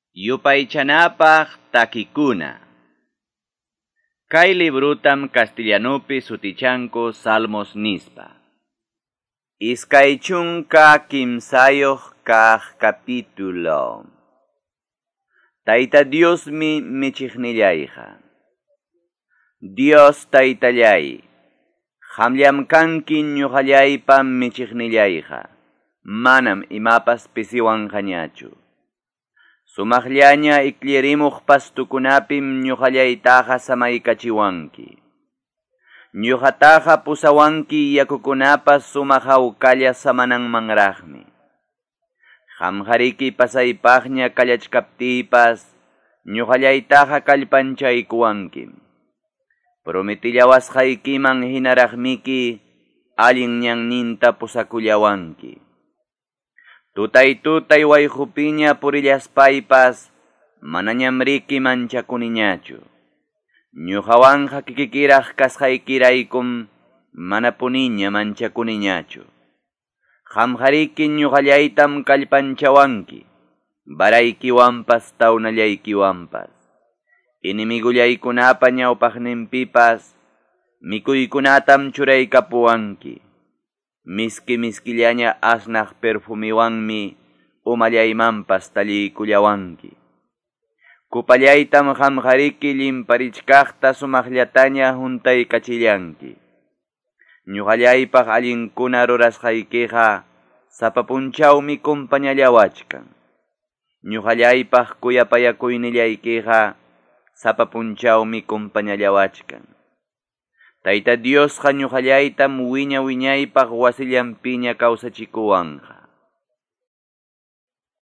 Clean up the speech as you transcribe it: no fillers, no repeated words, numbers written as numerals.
Yupaychanapaq takikuna. Kay librutam castellanupi sutichanku Salmos nispa. 23 kaq capítulo. Tayta Diosmi michiqnillayqa. Dios Taytallay, qamllam kanki ñuqallaypa michiqnillayqa, manam imapas pisiwanqañachu. Sumaqllaña ikllirimuq pastukunapim ñuqallaytaqa samaykachiwanki. Ñuqataqa pusawanki yakukunapas sumaq hawkalla samananmanraqmi. Qamqariki pasaypaqña kallachkaptiypas ñuqallaytaqa kallpanchaykuwankim. Prometillawasqaykiman hinaraqmiki allin ñanninta pusakullawanki. Tutay tutay wayqupiña purillaspaypas manañam riki manchakuniñachu. Ñuqawanqa kikikiraq kasqaykiraykum manapuniña manchakuniñachu. Qamqariki ñuqallaytam kallpanchawanki, varaykiwanpas tawnallaykiwanpas. Enemigullaykunapa ñawpaqninpipas mikuykunatam churaykapuwanki. Miski miskillaña asnaq perfumiwanmi umallaymanpas talliykullawanki. Kupallaytam qamqariki llimparichkaqta sumaqllataña huntaykachillanki. Ñuqallaypaq allinkuna rurasqaykiqa sapa punchawmi kumpañallawachkan. Ñuqallaypaq kuyapayakuynillaykiqa sapa punchawmi kumpañallawachkan. Tayta Diosqa ñuqallaytam wiña wiñaypaq wasillanpiña kawsachikuwanqa.